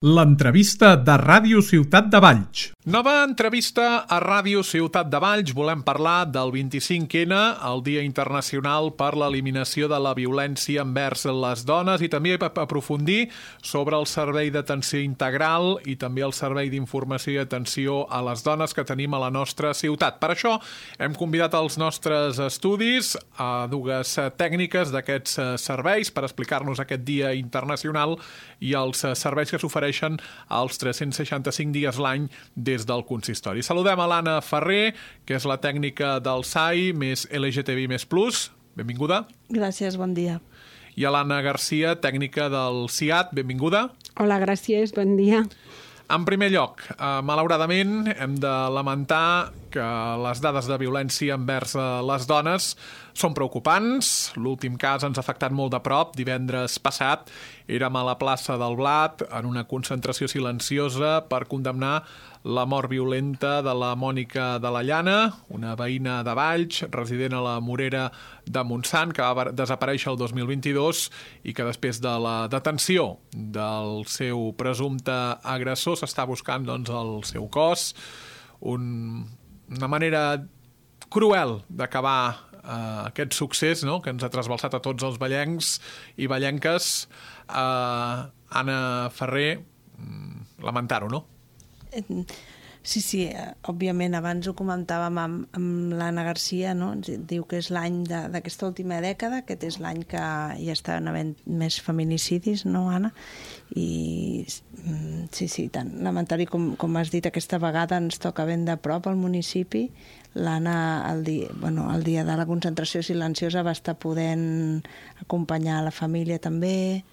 L'entrevista de Ràdio Ciutat de Valls. Nova entrevista a Ràdio Ciutat de Valls. Volem parlar del 25N, el Dia Internacional per l'Eliminació de la Violència envers les dones, i també aprofundir sobre el servei d'atenció integral i també el servei d'informació i atenció a les dones que tenim a la nostra ciutat. Per això hem convidat als nostres estudis a dues tècniques d'aquests serveis per explicar-nos aquest Dia Internacional i els serveis que s'ofereixen als 365 dies l'any des del consistori. Saludem a l'Anna Ferrer, que és la tècnica del SAI més LGTBI++. Benvinguda. Gràcies, bon dia. I a l'Anna Garcia, tècnica del CIAT. Benvinguda. Hola, gràcies, bon dia. En primer lloc, malauradament, hem de lamentar que les dades de violència envers les dones són preocupants. L'últim cas ens ha afectat molt de prop. Divendres passat érem a la plaça del Blat en una concentració silenciosa per condemnar la mort violenta de la Mònica de la Llana, una veïna de Valls, resident a la Morera de Montsant, que va desaparèixer el 2022 i que després de la detenció del seu presumpte agressor s'està buscant el seu cos. Una manera cruel d'acabar aquest succés, no?, que ens ha trasbalsat a tots els vallencs i vallenques. Anna Ferrer, lamentar-ho, no? Sí, òbviament, abans ho comentàvem amb l'Anna Garcia, no? Diu que és l'any d'aquesta última dècada, aquest és l'any que ja estan havent més feminicidis, no, Anna? I sí, tant lamentari com has dit, aquesta vegada ens toca ben de prop al municipi. L'Anna, el dia de la concentració silenciosa, va estar podent acompanyar la família també.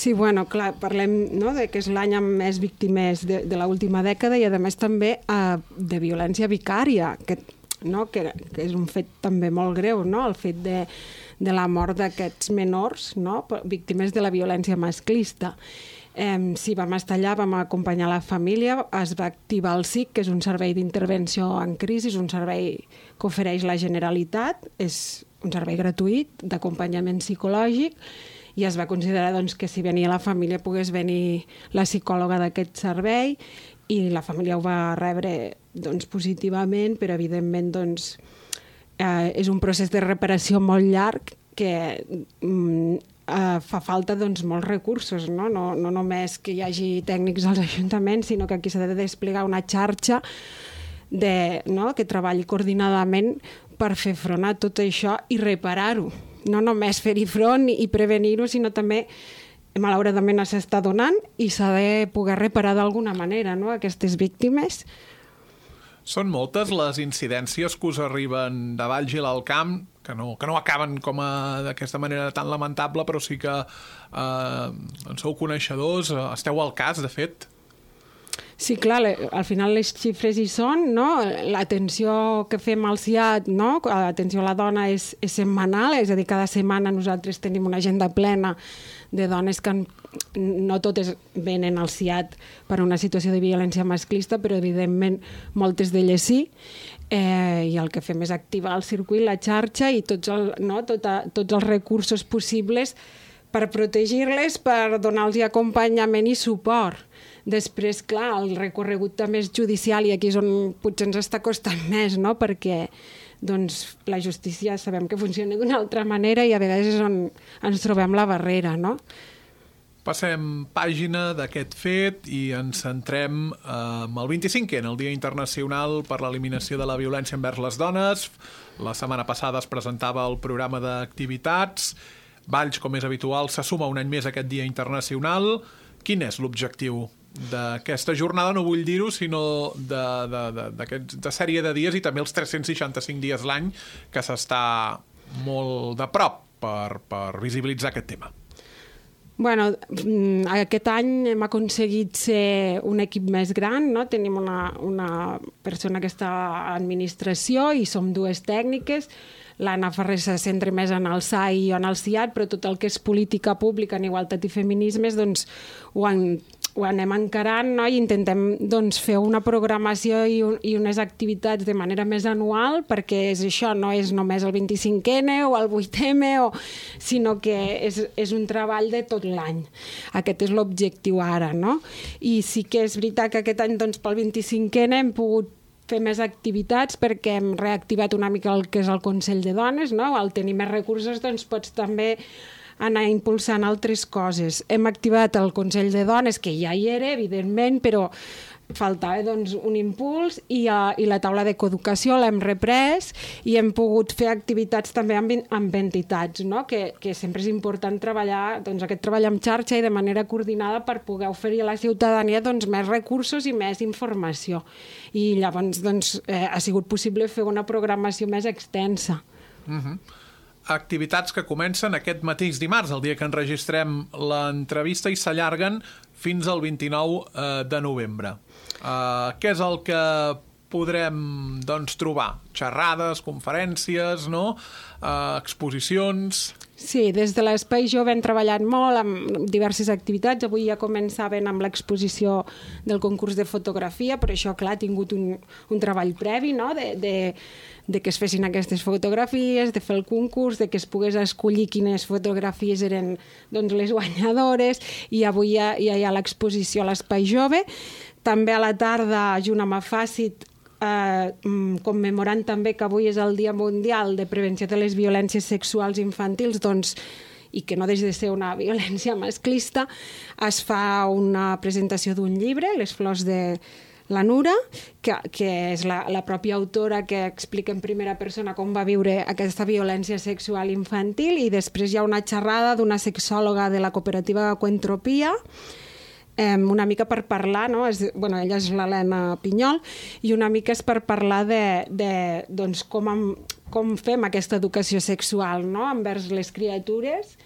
Sí, bueno, clar, parlem, no?, de que és l'any amb més víctimes de l'última dècada i, a més, també de violència vicària, que és un fet també molt greu, no?, el fet de la mort d'aquests menors, no?, víctimes de la violència masclista. Sí, vam estar allà, vam acompanyar la família, es va activar el SIC, que és un servei d'intervenció en crisi, és un servei que ofereix la Generalitat, és un servei gratuït d'acompanyament psicològic, i es va considerar que si venia la família pogués venir la psicòloga d'aquest servei, i la família ho va rebre positivament, però evidentment és un procés de reparació molt llarg que fa falta molts recursos, no només que hi hagi tècnics als ajuntaments, sinó que aquí s'ha de desplegar una xarxa que treballi coordinadament per fer front a tot això i reparar-ho. No només fer-hi front i prevenir-ho, sinó també, malauradament, s'està donant i s'ha de poder reparar d'alguna manera, no?, aquestes víctimes. Són moltes les incidències que us arriben de Valls i l'Alt Camp, que no acaben d'aquesta manera tan lamentable, però sí que en sou coneixedors, esteu al cas, de fet. Sí, clar, al final les xifres hi són, no? L'atenció que fem al CIAT, no?, l'atenció a la dona és setmanal, és a dir, cada setmana nosaltres tenim una agenda plena de dones que no totes venen al CIAT per una situació de violència masclista, però evidentment moltes d'elles sí, i el que fem és activar el circuit, la xarxa i tots els recursos possibles per protegir-les, per donar-los acompanyament i suport. Després, clar, el recorregut també és judicial i aquí és on potser ens està costant més, no?, perquè la justícia sabem que funciona d'una altra manera i a vegades és on ens trobem la barrera, no? Passem pàgina d'aquest fet i ens centrem en el 25N, el Dia Internacional per l'Eliminació de la Violència envers les dones. La setmana passada es presentava el programa d'activitats. Valls, com és habitual, se suma un any més a aquest Dia Internacional. Quin és l'objectiu d'aquesta jornada? No vull dir-ho, sinó de sèrie de dies i també els 365 dies l'any que s'està molt de prop per visibilitzar aquest tema. Bueno, aquest any hem aconseguit ser un equip més gran, no? Tenim una persona que està a administració i som dues tècniques. L'Anna Ferrer se centra més en el SAI i en el CIAT, però tot el que és política pública en igualtat i feminismes ho han ho anem encarant, no? I intentem doncs, fer una programació i unes activitats de manera més anual, perquè és això, no és només el 25N o el 8M, sinó que és un treball de tot l'any. Aquest és l'objectiu ara, no? I sí que és veritat que aquest any doncs, pel 25N hem pogut fer més activitats perquè hem reactivat una mica el que és el Consell de Dones, no? Al tenir més recursos doncs, pots també anar impulsant altres coses. Hem activat el Consell de Dones, que ja hi era, evidentment, però faltava doncs, un impuls i la taula de coeducació l'hem reprès i hem pogut fer activitats també amb entitats, no? que sempre és important treballar doncs, aquest treball en xarxa i de manera coordinada per poder oferir a la ciutadania doncs, més recursos i més informació. I llavors doncs, ha sigut possible fer una programació més extensa. Activitats que comencen aquest mateix dimarts, el dia que enregistrem l'entrevista, i s'allarguen fins al 29 de novembre. Què és el que podrem doncs, trobar? Xerrades, conferències, no? Exposicions... Sí, des de l'Espai Jove hem treballat molt amb diverses activitats. Avui ja començaven amb l'exposició del concurs de fotografia, però això, clar, ha tingut un treball previ, no? de que es fessin aquestes fotografies, de fer el concurs, de que es pogués escollir quines fotografies eren doncs, les guanyadores, i avui ja hi ha l'exposició a l'Espai Jove. També a la tarda, junt amb Afàcit, commemorant també que avui és el Dia Mundial de Prevenció de les Violències Sexuals Infantils, doncs, i que no deixa de ser una violència masclista, es fa una presentació d'un llibre, Les flors de la Nura, que és la pròpia autora que explica en primera persona com va viure aquesta violència sexual infantil, i després hi ha una xerrada d'una sexòloga de la cooperativa Coentropia, una mica per parlar, no? Ella és l'Helena Pinyol, i una mica és per parlar de doncs, com fem aquesta educació sexual, no? Envers les criatures.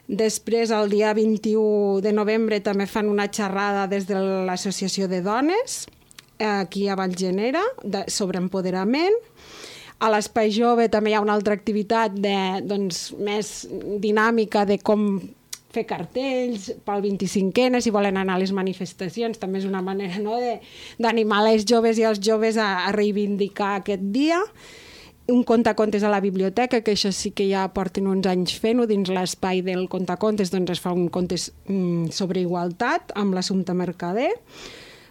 Després, el dia 21 de novembre, també fan una xerrada des de l'Associació de Dones, aquí a Vallgenera, sobre empoderament. A l'Espai Jove també hi ha una altra activitat més dinàmica de com fer cartells pel 25N, si volen anar a les manifestacions. També és una manera, no?, d'animar les joves i els joves a reivindicar aquest dia. Un contacontes a la biblioteca, que això sí que ja porten uns anys fent-ho, dins l'espai del contacontes doncs es fa un contes sobre igualtat amb l'Assumpta Mercader.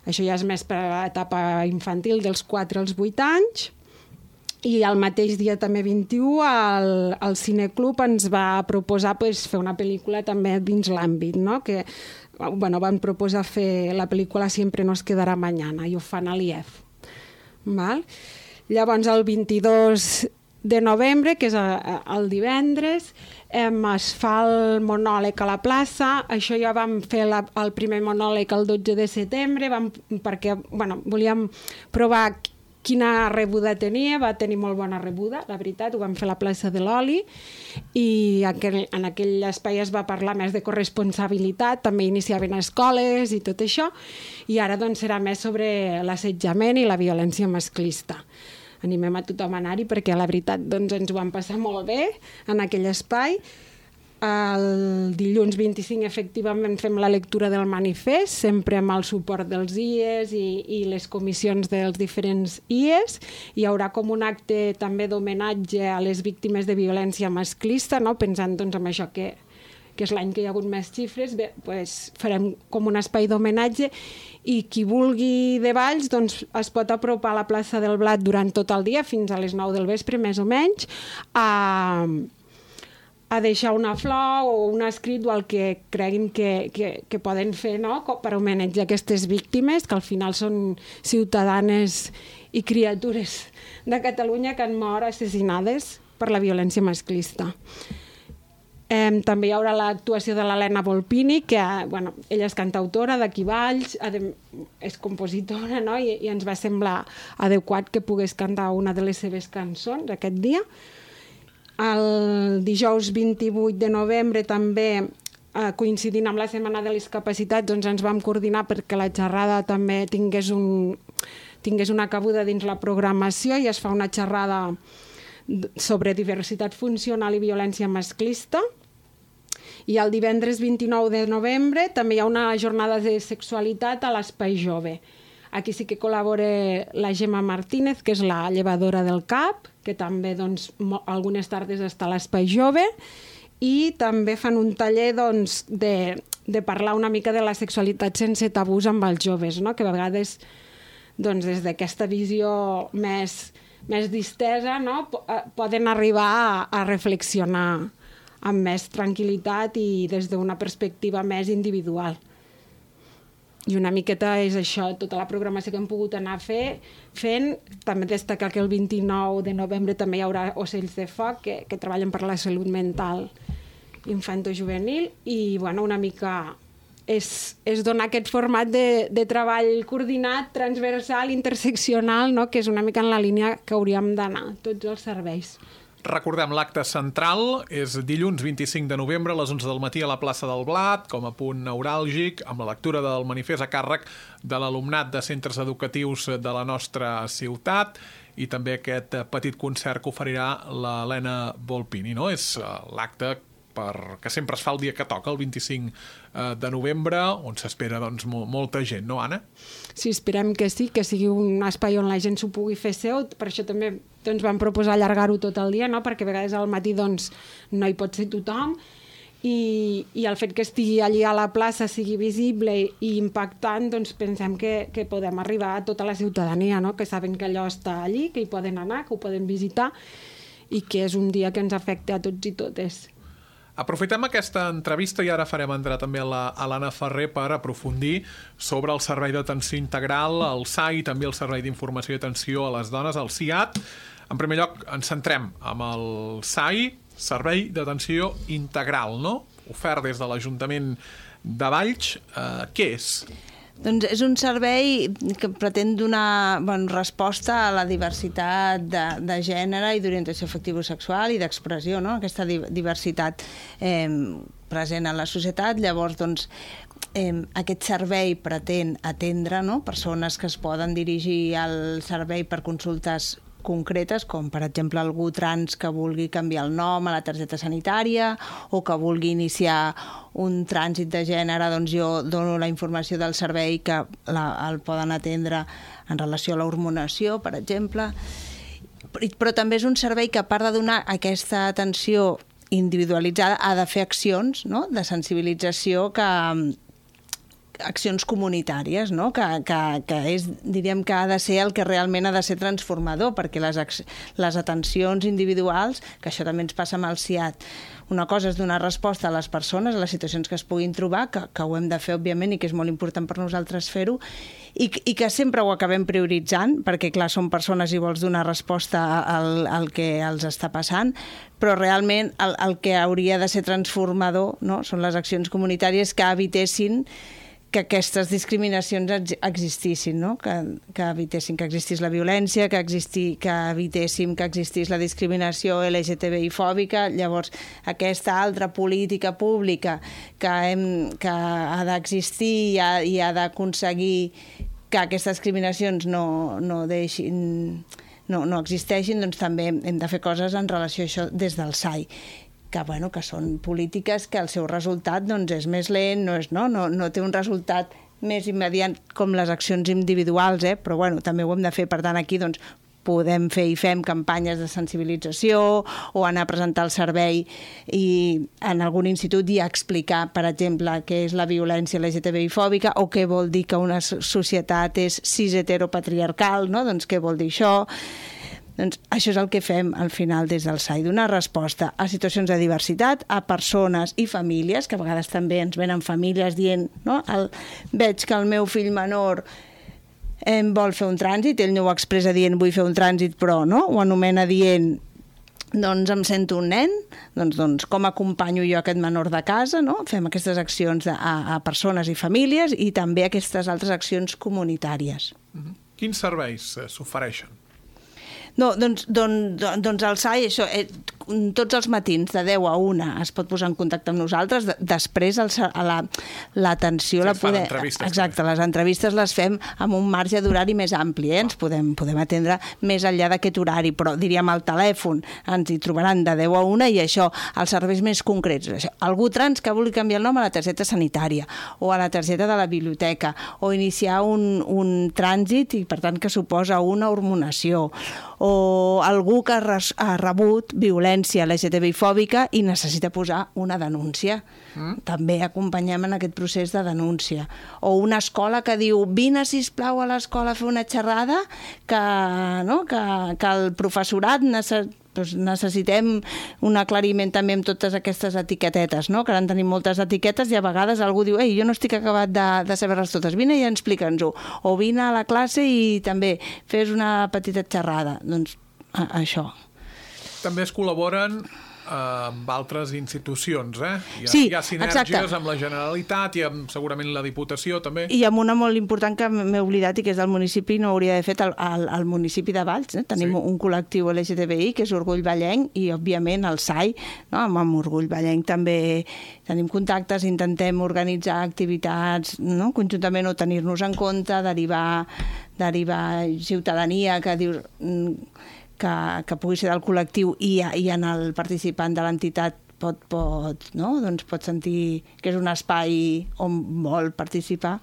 Això ja és més per a l'etapa infantil, dels 4 als 8 anys. I el mateix dia, també 21, el Cineclub ens va proposar fer una pel·lícula també dins l'àmbit, no? Que van proposar fer la pel·lícula Siempre nos quedará mañana, i ho fan a l'IEF. Llavors, el 22 de novembre, que és el divendres, es fa el monòleg a la plaça. Això ja vam fer el primer monòleg el 12 de setembre, perquè volíem provar quina rebuda tenia. Va tenir molt bona rebuda, la veritat. Ho vam fer a la plaça de l'Oli, i en aquell espai es va parlar més de corresponsabilitat, també iniciaven escoles i tot això, i ara doncs serà més sobre l'assetjament i la violència masclista. Animem a tothom a anar-hi, perquè la veritat doncs, ens ho vam passar molt bé en aquell espai. El dilluns 25 efectivament fem la lectura del manifest, sempre amb el suport dels IES i les comissions dels diferents IES. Hi haurà com un acte també d'homenatge a les víctimes de violència masclista, no? Pensant doncs, en això que és l'any que hi ha hagut més xifres. Farem com un espai d'homenatge, i qui vulgui de Valls doncs, es pot apropar a la plaça del Blat durant tot el dia, fins a les 9 del vespre, més o menys, a deixar una flor o un escrit o el que creguin que poden fer, no?, per homenatjar aquestes víctimes, que al final són ciutadanes i criatures de Catalunya que han mort assassinades per la violència masclista. També hi haurà l'actuació de l'Helena Volpini, que ella és cantautora d'aquí Valls, és compositora, no?, i ens va semblar adequat que pogués cantar una de les seves cançons aquest dia. El dijous 28 de novembre, també coincidint amb la Setmana de les Capacitats, doncs ens vam coordinar perquè la xerrada també tingués una cabuda dins la programació, i es fa una xerrada sobre diversitat funcional i violència masclista. I el divendres 29 de novembre també hi ha una jornada de sexualitat a l'Espai Jove. Aquí sí que col·labora la Gemma Martínez, que és la llevadora del CAP, que també doncs, algunes tardes està a l'Espai Jove, i també fan un taller doncs, de parlar una mica de la sexualitat sense tabús amb els joves, no? Que a vegades doncs, des d'aquesta visió més distesa, no? Poden arribar a reflexionar amb més tranquil·litat i des d'una perspectiva més individual. I una miqueta és això, tota la programació que hem pogut anar fent. També destacar que el 29 de novembre també hi haurà Ocells de Foc, que treballen per la salut mental infantojuvenil, i bueno, una mica és donar aquest format de treball coordinat, transversal, interseccional, no? Que és una mica en la línia que hauríem d'anar tots els serveis. Recordem, l'acte central és dilluns 25 de novembre a les 11 del matí a la plaça del Blat, com a punt neuràlgic, amb la lectura del manifest a càrrec de l'alumnat de centres educatius de la nostra ciutat, i també aquest petit concert que oferirà l'Helena Volpini, no? És l'acte que sempre es fa el dia que toca, el 25 de novembre, on s'espera doncs, molta gent, no, Anna? Sí, esperem que sí, que sigui un espai on la gent s'ho pugui fer seu. Per això també doncs, vam proposar allargar-ho tot el dia, no? Perquè a vegades al matí doncs, no hi pot ser tothom, i el fet que estigui allí a la plaça sigui visible i impactant, doncs pensem que podem arribar a tota la ciutadania, no? Que saben que allò està allí, que hi poden anar, que ho poden visitar, i que és un dia que ens afecta a tots i totes. Aprofitem aquesta entrevista i ara farem entrar també a l'Anna Ferrer per aprofundir sobre el Servei d'Atenció Integral, el SAI, i també el Servei d'Informació i Atenció a les Dones, el SIAT. En primer lloc, ens centrem amb el SAI, Servei d'Atenció Integral, no? Ofert des de l'Ajuntament de Valls. Què és? Doncs és un servei que pretén donar resposta a la diversitat de gènere i d'orientació afectivo-sexual i d'expressió, no? Aquesta diversitat present en la societat. Llavors, doncs, aquest servei pretén atendre, no? Persones que es poden dirigir al servei per consultes concretes, com per exemple algú trans que vulgui canviar el nom a la targeta sanitària o que vulgui iniciar un trànsit de gènere, doncs jo dono la informació del servei que el poden atendre en relació a l'hormonació, per exemple. Però també és un servei que, a part de donar aquesta atenció individualitzada, ha de fer accions, no? De sensibilització accions comunitàries, no? Que és, diríem que ha de ser el que realment ha de ser transformador, perquè les atencions individuals, que això també ens passa amb el SIAT, una cosa és donar resposta a les persones, a les situacions que es puguin trobar, que ho hem de fer, òbviament, i que és molt important per nosaltres fer-ho, i que sempre ho acabem prioritzant, perquè, clar, són persones i vols donar resposta al que els està passant, però realment el que hauria de ser transformador, no? Són les accions comunitàries que evitessin que aquestes discriminacions existissin, no? Que evitessin que existís la violència, que evitéssim que existís la discriminació LGTBI-fòbica. Llavors, aquesta altra política pública que ha d'existir i ha d'aconseguir que aquestes discriminacions no existeixin, doncs també hem de fer coses en relació a això des del SAI. Que són polítiques que el seu resultat doncs, és més lent, no té un resultat més immediat com les accions individuals, però també ho hem de fer. Per tant, aquí doncs, podem fer i fem campanyes de sensibilització o anar a presentar el servei i en algun institut i explicar, per exemple, què és la violència LGTBI-fòbica o què vol dir que una societat és cis-heteropatriarcal, no? Doncs què vol dir això? Doncs això és el que fem al final des del SAI, donar resposta a situacions de diversitat, a persones i famílies, que a vegades també ens venen famílies dient, no? Veig que el meu fill menor vol fer un trànsit, ell no ho expressa dient vull fer un trànsit, però no? Ho anomena dient doncs em sento un nen, doncs com acompanyo jo aquest menor de casa, no? Fem aquestes accions a persones i famílies i també aquestes altres accions comunitàries. Quins serveis s'ofereixen? No, doncs el SAI, això, tots els matins de 10 a 1 es pot posar en contacte amb nosaltres, després l'atenció la podem... Exacte, les entrevistes les fem amb un marge d'horari més ampli, ens podem atendre més enllà d'aquest horari, però diríem al telèfon ens hi trobaran de 10 a 1 i això, els serveis més concrets. Algú trans que vulgui canviar el nom a la targeta sanitària o a la targeta de la biblioteca o iniciar un trànsit i per tant que suposa una hormonació o algú que ha rebut violència LGTBI-fòbica i necessita posar una denúncia. També acompanyem en aquest procés de denúncia. O una escola que diu vine, sisplau, a l'escola a fer una xerrada que el professorat necessitem un aclariment també amb totes aquestes etiquetetes, no? Que ara en tenim moltes etiquetes i a vegades algú diu jo no estic acabat de saber-les totes, vine i explica'ns-ho. O vine a la classe i també fes una petita xerrada. Doncs això. També es col·laboren amb altres institucions, Sí, hi ha sinergies exacte. amb la Generalitat i amb segurament la Diputació també. I amb una molt important que m'he oblidat i que és del municipi, no hauria d'haver fet al municipi de Valls. Tenim un col·lectiu LGTBI que és Orgull Vallenc i òbviament el SAI, no? Amb Orgull Vallenc també tenim contactes, intentem organitzar activitats, no? Conjuntament o tenir-nos en compte, derivar ciutadania que dius que pugui ser del col·lectiu i en el participant de l'entitat pot sentir que és un espai on vol participar.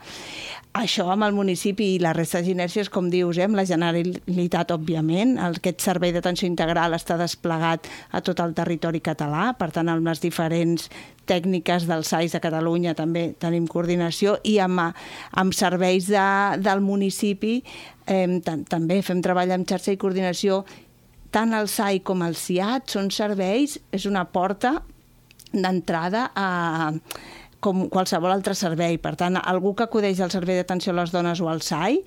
Això amb el municipi i la resta de ginèrcies, com dius, amb la Generalitat, òbviament. Aquest servei d'atenció integral està desplegat a tot el territori català, per tant, amb les diferents tècniques dels SAIs de Catalunya també tenim coordinació i amb serveis del municipi també fem treball amb xarxa i coordinació. Tant el SAI com el SIAT són serveis, és una porta d'entrada com qualsevol altre servei. Per tant, algú que acudeix al servei d'atenció a les dones o al SAI,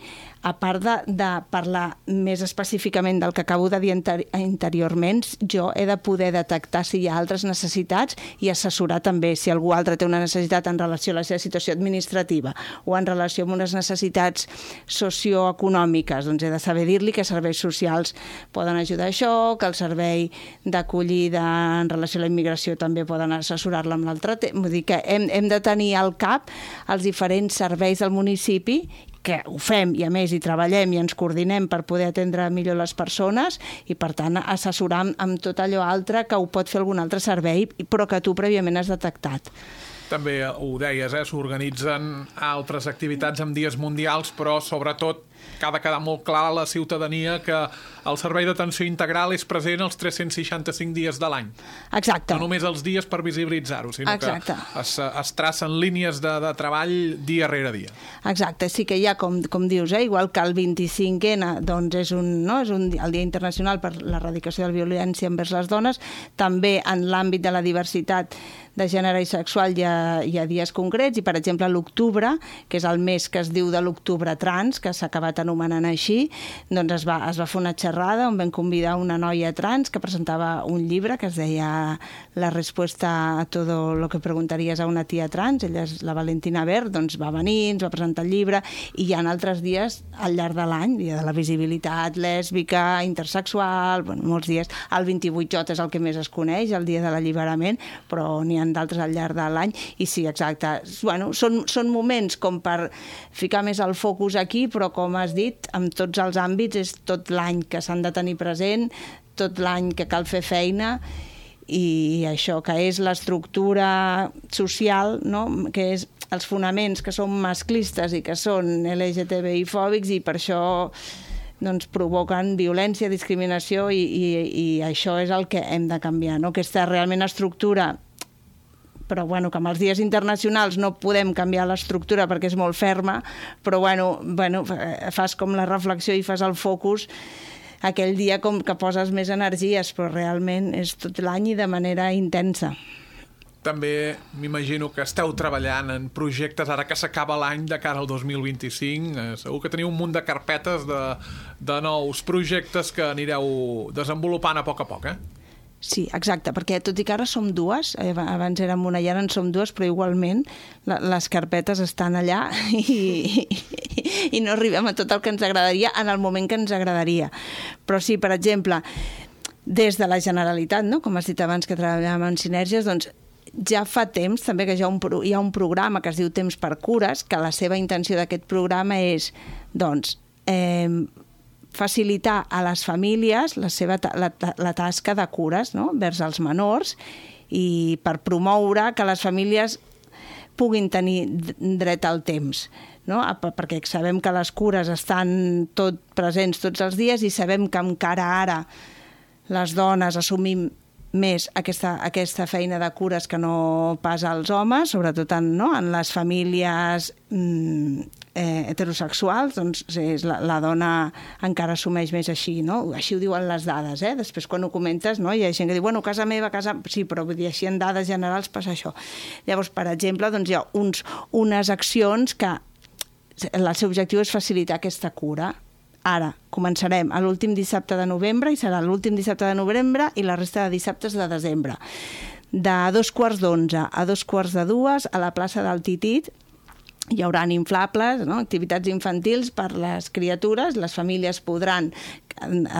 a part de parlar més específicament del que acabo de dir anteriorment, jo he de poder detectar si hi ha altres necessitats i assessorar també si algú altre té una necessitat en relació a la seva situació administrativa o en relació amb unes necessitats socioeconòmiques. Doncs he de saber dir-li que serveis socials poden ajudar a això, que el servei d'acollida en relació a la immigració també poden assessorar-la amb l'altre tema. Vull dir que hem de tenir al cap els diferents serveis del municipi, que ho fem i a més hi treballem i ens coordinem per poder atendre millor les persones i per tant assessorar amb tot allò altre que ho pot fer algun altre servei però que tu prèviament has detectat. També ho deies, s'organitzen altres activitats amb dies mundials, però sobretot que ha de quedar molt clar a la ciutadania que el servei d'atenció integral és present els 365 dies de l'any. Exacte. No només els dies per visibilitzar-ho, sinó Exacte. Que es tracen línies de treball dia rere dia. Exacte, sí que hi ha, com dius, igual que el 25N doncs és el Dia Internacional per l'Erradicació de la Violència envers les Dones, també en l'àmbit de la diversitat de gènere i sexual hi ha dies concrets i, per exemple, l'octubre, que és el mes que es diu de l'octubre trans, que s'ha acabat anomenant així, doncs es va fer una xerrada on vam convidar una noia trans que presentava un llibre que es deia La respuesta a todo lo que preguntaries a una tia trans. Ella és la Valentina Ver, doncs va venir, ens va presentar el llibre i hi ha altres dies al llarg de l'any, dia de la visibilitat lèsbica, intersexual, molts dies. El 28J és el que més es coneix, el dia de l'alliberament, però n'hi ha d'altres al llarg de l'any i sí, exacte. Són moments com per ficar més el focus aquí, però com has dit, en tots els àmbits és tot l'any que s'han de tenir present, tot l'any que cal fer feina i això que és l'estructura social, no? Que és els fonaments que són masclistes i que són LGTBI-fòbics i per això doncs, provoquen violència, discriminació i això és el que hem de canviar, no? Aquesta realment estructura, però bueno, que amb els dies internacionals no podem canviar l'estructura perquè és molt ferma, però bueno, fas com la reflexió i fas el focus aquell dia com que poses més energies, però realment és tot l'any i de manera intensa. També m'imagino que esteu treballant en projectes ara que s'acaba l'any de cara al 2025. Segur que teniu un munt de carpetes de nous projectes que anireu desenvolupant a poc, Sí, exacte, perquè tot i que ara som dues, abans érem una i ara en som dues, però igualment les carpetes estan allà i no arribem a tot el que ens agradaria en el moment que ens agradaria. Però sí, per exemple, des de la Generalitat, no? Com has dit abans que treballàvem en sinergies, doncs ja fa temps també que hi ha un programa que es diu Temps per Cures, que la seva intenció d'aquest programa és doncs, facilitar a les famílies la tasca de cures, no? Vers els menors, i per promoure que les famílies puguin tenir dret al temps, no? Perquè sabem que les cures estan presents tots els dies i sabem que encara ara les dones assumim més aquesta feina de cures que no pas als homes, sobretot en les famílies heterosexuals, doncs la dona encara assumeix més així, no? Així ho diuen les dades, Després quan ho comentes, no? Hi ha gent que diu, bueno, casa meva, sí, però vull dir, així en dades generals passa això. Llavors, per exemple, doncs hi ha unes accions que el seu objectiu és facilitar aquesta cura. Ara, començarem a l'últim dissabte de novembre i serà l'últim dissabte de novembre i la resta de dissabtes de desembre. De 2:15 a 2:45 a la plaça del Titit hi haurà inflables, no? Activitats infantils per les criatures. Les famílies podran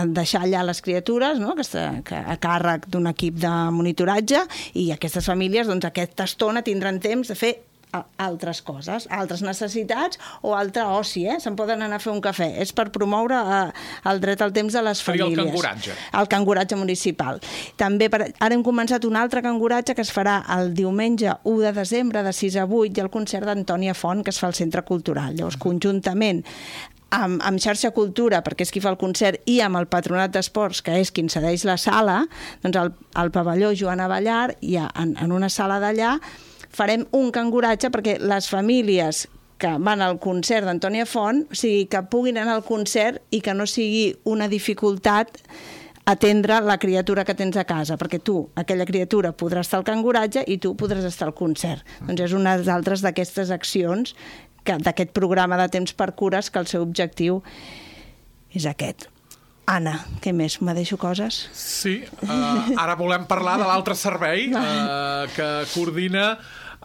deixar allà les criatures, no? A càrrec d'un equip de monitoratge, i aquestes famílies doncs, aquesta estona tindran temps de fer altres coses, altres necessitats o altre oci, Se'n poden anar a fer un cafè. És per promoure el dret al temps de les famílies. El canguratge. El canguratge municipal. També ara hem començat un altre canguratge que es farà el diumenge 1 de desembre de 6 a 8 i el concert d'Antònia Font que es fa al Centre Cultural. Llavors, conjuntament amb Xarxa Cultura, perquè és qui fa el concert, i amb el Patronat d'Esports, que és qui cedeix la sala, doncs al pavelló Joan Abellar, en una sala d'allà, farem un canguratge perquè les famílies que van al concert d'Antònia Font, o sigui, que puguin anar al concert i que no sigui una dificultat atendre la criatura que tens a casa, perquè tu, aquella criatura, podrà estar al canguratge i tu podràs estar al concert. Doncs és una d'altres d'aquestes accions d'aquest programa de Temps per Cures, que el seu objectiu és aquest. Anna, què més? Me deixo coses? Sí, ara volem parlar de l'altre servei que coordina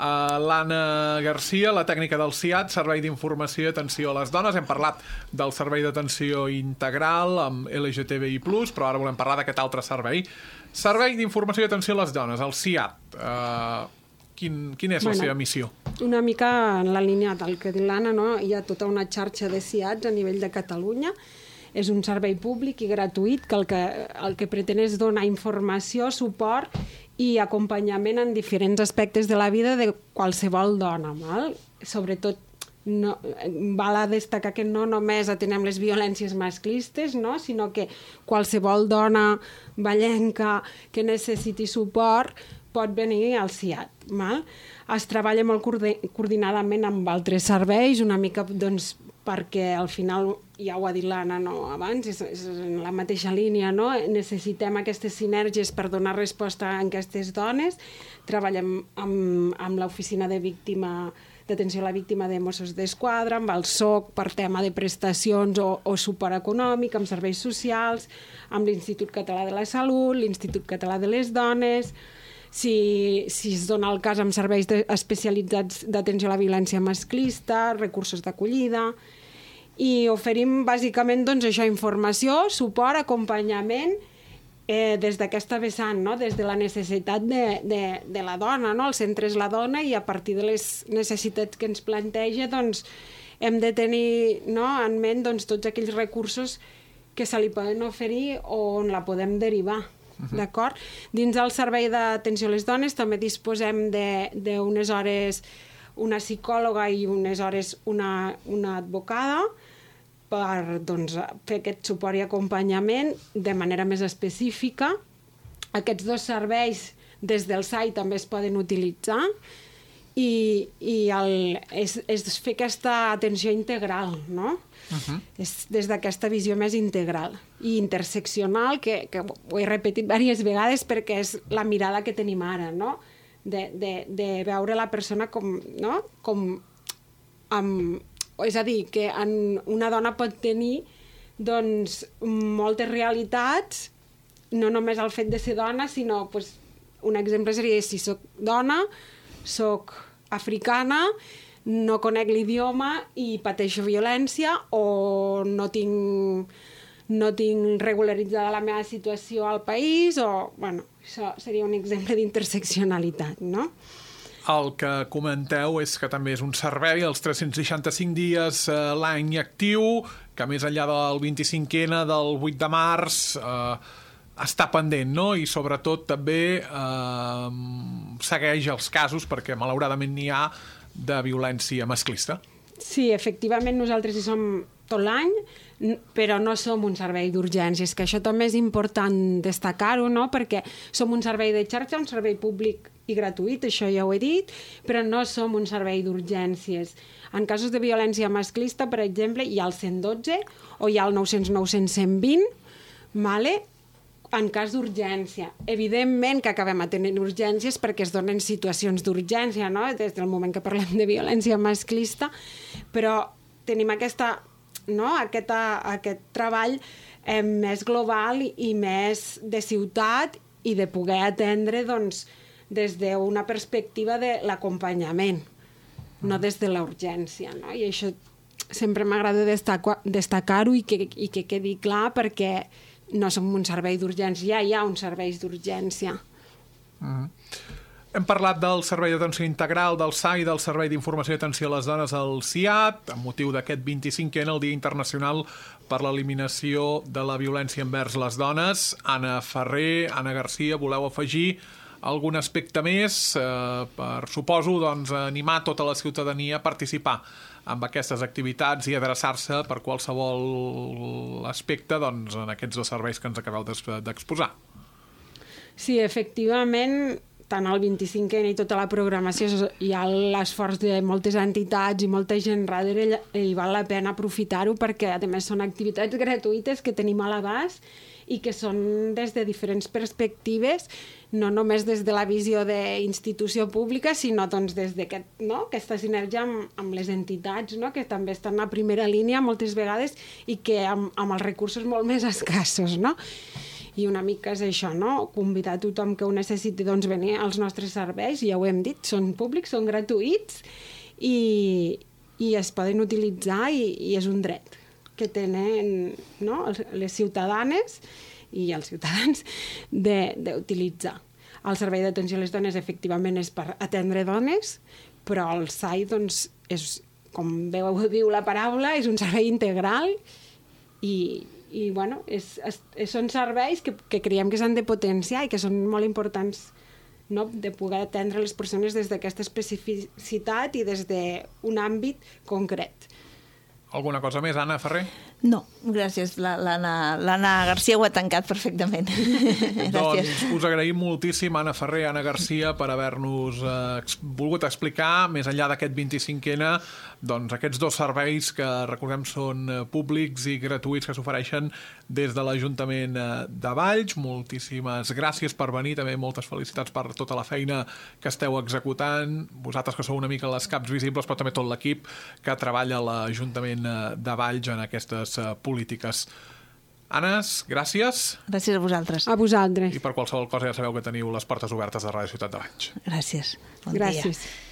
l'Anna Garcia, la tècnica del CIAT, Servei d'Informació i Atenció a les Dones. Hem parlat del servei d'atenció integral amb LGTBI+, però ara volem parlar d'aquest altre servei. Servei d'Informació i Atenció a les Dones, el CIAT. Quina és la seva missió? Una mica en la línia del que diu l'Anna, no? Hi ha tota una xarxa de CIATs a nivell de Catalunya. És un servei públic i gratuït que el que pretén és donar informació, suport i acompanyament en diferents aspectes de la vida de qualsevol dona. Sobretot, val a destacar que no només atenem les violències masclistes, no? Sinó que qualsevol dona vallenca que necessiti suport pot venir al CIAT. Es treballa molt coordinadament amb altres serveis, una mica doncs, perquè al final, ja ho ha dit l'Anna abans, és en la mateixa línia, no? Necessitem aquestes sinergies per donar resposta a aquestes dones. Treballem amb l'oficina d'atenció a la víctima de Mossos d'Esquadra, amb el SOC per tema de prestacions o suport econòmic, amb serveis socials, amb l'Institut Català de la Salut, l'Institut Català de les Dones. Si es dona el cas amb serveis especialitzats d'atenció a la violència masclista, recursos d'acollida, i oferim bàsicament doncs, això, informació, suport, acompanyament des d'aquesta vessant, no? Des de la necessitat de la dona, no? El centre és la dona i a partir de les necessitats que ens planteja doncs, hem de tenir en ment doncs, tots aquells recursos que se li poden oferir o on la podem derivar. D'acord? Dins del servei d'atenció a les dones també disposem d'unes hores una psicòloga i unes hores una advocada per fer aquest suport i acompanyament de manera més específica. Aquests dos serveis des del SAI també es poden utilitzar i és fer aquesta atenció integral, no? És des d'aquesta visió més integral i interseccional, que ho he repetit diverses vegades perquè és la mirada que tenim ara, no? De veure la persona com és a dir, que una dona pot tenir doncs, moltes realitats, no només el fet de ser dona, sinó un exemple seria si soc dona, soc africana, no conec l'idioma i pateixo violència o no no tinc regularitzada la meva situació al país, o, bueno, això seria un exemple d'interseccionalitat, no? El que comenteu és que també és un servei els 365 dies l'any actiu, que més enllà del 25N, del 8 de març, està pendent, no? I sobretot també segueix els casos, perquè malauradament n'hi ha, de violència masclista. Sí, efectivament nosaltres hi som tot l'any, però no som un servei d'urgències, que això també és important destacar-ho, no? Perquè som un servei de xarxa, un servei públic i gratuït, això ja ho he dit, però no som un servei d'urgències. En casos de violència masclista, per exemple, hi ha el 112 o hi ha el 900-900-120, vale? En cas d'urgència. Evidentment que acabem atenent urgències perquè es donen situacions d'urgència, no? Des del moment que parlem de violència masclista, però tenim aquest treball més global i més de ciutat i de poder atendre doncs, des d'una perspectiva de l'acompanyament, no des de la urgència, no? I això sempre m'agrada destacar-ho i que quedi clar, perquè no som un servei d'urgència, ja hi ha uns serveis d'urgència. Hem parlat del Servei d'Atenció Integral, del SAI, del Servei d'Informació i Atenció a les Dones, el SIAT, amb motiu d'aquest 25N, el Dia Internacional per l'Eliminació de la Violència envers les Dones. Anna Ferrer, Anna Garcia, voleu afegir algun aspecte més per, suposo, doncs, animar tota la ciutadania a participar amb aquestes activitats i adreçar-se per qualsevol aspecte doncs, en aquests dos serveis que ens acabeu d'exposar? Sí, efectivament, tant el 25N i tota la programació hi ha l'esforç de moltes entitats i molta gent darrere i val la pena aprofitar-ho perquè, a més, són activitats gratuïtes que tenim a l'abast i que són des de diferents perspectives, no només des de la visió d'institució pública, sinó doncs, des d'aquesta sinergia amb les entitats, no? Que també estan a primera línia moltes vegades i que amb els recursos molt més escassos, no? I una mica és això, no? Convidar tothom que ho necessiti doncs, venir als nostres serveis, ja ho hem dit, són públics, són gratuïts i es poden utilitzar i és un dret que tenen, no? Les ciutadanes i els ciutadans d'utilitzar. El Servei d'Atenció a les Dones efectivament és per atendre dones, però el SAI, doncs, és, com diu la paraula, és un servei integral i bueno, són serveis que creiem que s'han de potenciar i que són molt importants, no? De poder atendre les persones des d'aquesta especificitat i des d'un àmbit concret. Alguna cosa més, Anna Ferrer? No, gràcies. L'Anna Garcia ho ha tancat perfectament. Doncs us agraïm moltíssim, Anna Ferrer, Anna Garcia, per haver-nos volgut explicar, més enllà d'aquest 25N, doncs aquests dos serveis que, recordem, són públics i gratuïts que s'ofereixen des de l'Ajuntament de Valls. Moltíssimes gràcies per venir, també moltes felicitats per tota la feina que esteu executant. Vosaltres que sou una mica les caps visibles, però també tot l'equip que treballa a l'Ajuntament de Valls en aquestes polítiques. Anes, gràcies. Gràcies a vosaltres. A vosaltres. I per qualsevol cosa ja sabeu que teniu les portes obertes de Ràdio Ciutat de Valls. Gràcies. Bon gràcies. dia.